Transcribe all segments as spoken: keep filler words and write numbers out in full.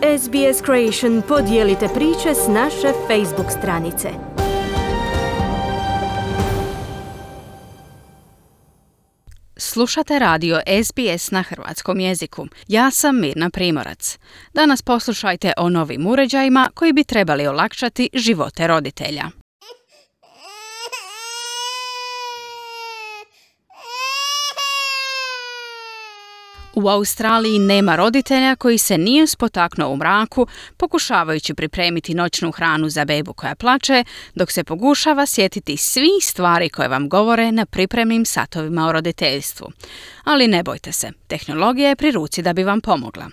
S B S Creation podijelite priče s naše Facebook stranice. Slušate radio S B S na hrvatskom jeziku. Ja sam Mirna Primorac. Danas poslušajte o novim uređajima koji bi trebali olakšati živote roditelja. U Australiji nema roditelja koji se nije spotaknuo u mraku pokušavajući pripremiti noćnu hranu za bebu koja plače, dok se pokušava sjetiti svih stvari koje vam govore na pripremnim satovima o roditeljstvu. Ali ne bojte se, tehnologija je pri ruci da bi vam pomogla.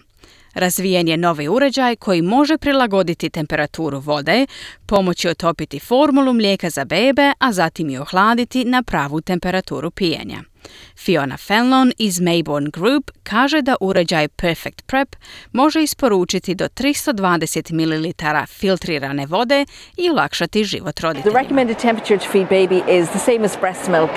Razvijen je novi uređaj koji može prilagoditi temperaturu vode, pomoći otopiti formulu mlijeka za bebe, a zatim i ohladiti na pravu temperaturu pijenja. Fiona Fenlon iz Mayborn Group kaže da uređaj Perfect Prep može isporučiti do tristo dvadeset mililitara filtrirane vode i olakšati život roditeljima. The recommended temperature to feed baby is the same as breast milk,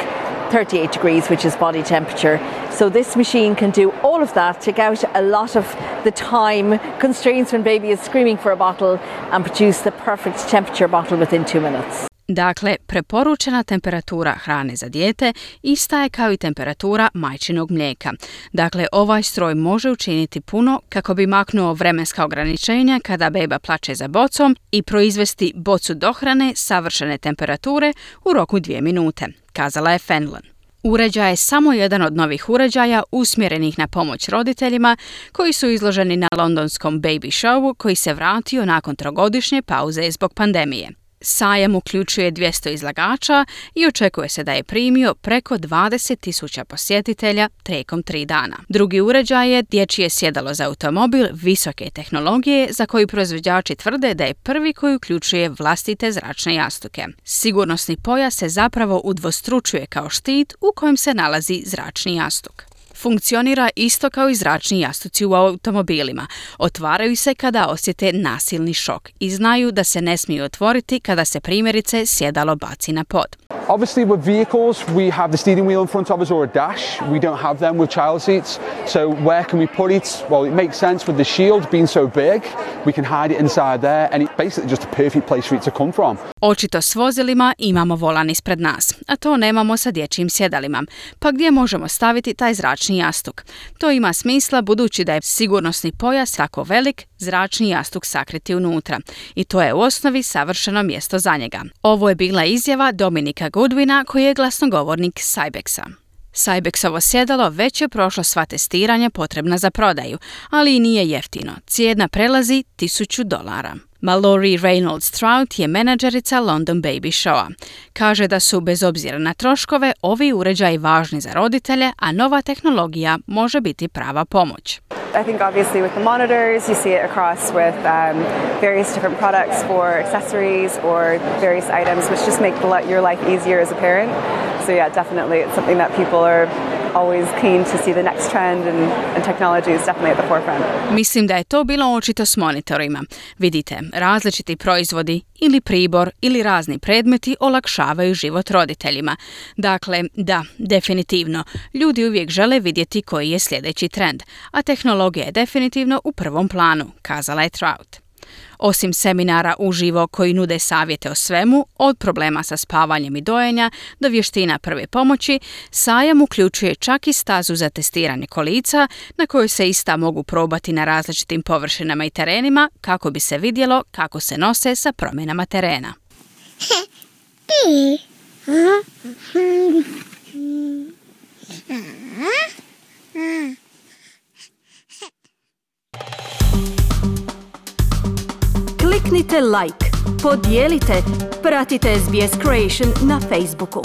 thirty-eight degrees, which is body temperature. So this machine can do all of that, take out a lot of the time constraints when baby is screaming for a bottle and produce the perfect temperature bottle within two minutes. Dakle, preporučena temperatura hrane za dijete ista je kao i temperatura majčinog mlijeka. Dakle, ovaj stroj može učiniti puno kako bi maknuo vremenska ograničenja kada beba plače za bocom i proizvesti bocu dohrane savršene temperature u roku dvije minute, kazala je Fenlon. Uređaj je samo jedan od novih uređaja usmjerenih na pomoć roditeljima koji su izloženi na londonskom Baby Showu koji se vratio nakon trogodišnje pauze zbog pandemije. Sajam uključuje dvjesto izlagača i očekuje se da je primio preko dvadeset tisuća posjetitelja tijekom tri dana. Drugi uređaj je dječje sjedalo za automobil visoke tehnologije za koji proizvođači tvrde da je prvi koji uključuje vlastite zračne jastuke. Sigurnosni pojas se zapravo udvostručuje kao štit u kojem se nalazi zračni jastuk. Funkcionira isto kao i zračni jastuci u automobilima. Otvaraju se kada osjete nasilni šok i znaju da se ne smiju otvoriti kada se primjerice sjedalo baci na pod. Obviously with vehicles we have the steering wheel in front of us or a dash. We don't have them with child seats. So where can we put it? Well, it makes sense with the Shield being so big. We can hide it inside there and it's basically just a perfect place for it to come from. Očito s vozilima imamo volan ispred nas, a to nemamo sa dječjim sjedalima. Pa gdje možemo staviti taj zračni jastuk? To ima smisla budući da je sigurnosni pojas tako velik, zračni jastuk sakriti unutra. I to je u osnovi savršeno mjesto za njega. Ovo je bila izjava Dominika Goodwina koji je glasnogovornik Cybexa. Cybexovo sjedalo već je prošlo sva testiranja potrebna za prodaju, ali i nije jeftino. Cijena prelazi tisuću dolara. Mallory Reynolds-Trout je menadžerica London Baby Showa. Kaže da su, bez obzira na troškove, ovi uređaji važni za roditelje, a nova tehnologija može biti prava pomoć. I think obviously with the monitors, you see it across with um, various different products for accessories or various items, which just make your life easier as a parent. So yeah, definitely it's something that people are always keen to see the next trend and, and technology is definitely at the forefront. Mislim da je to bilo očito s monitorima. Vidite, različiti proizvodi ili pribor ili razni predmeti olakšavaju život roditeljima. Dakle, da, definitivno, ljudi uvijek žele vidjeti koji je sljedeći trend, a tehnologija je definitivno u prvom planu, kazala je Trout. Osim seminara uživo koji nude savjete o svemu, od problema sa spavanjem i dojenja do vještina prve pomoći, sajam uključuje čak i stazu za testiranje kolica na kojoj se ista mogu probati na različitim površinama i terenima kako bi se vidjelo kako se nose sa promjenama terena. Kliknite like, podijelite, pratite S B S Creation na Facebooku.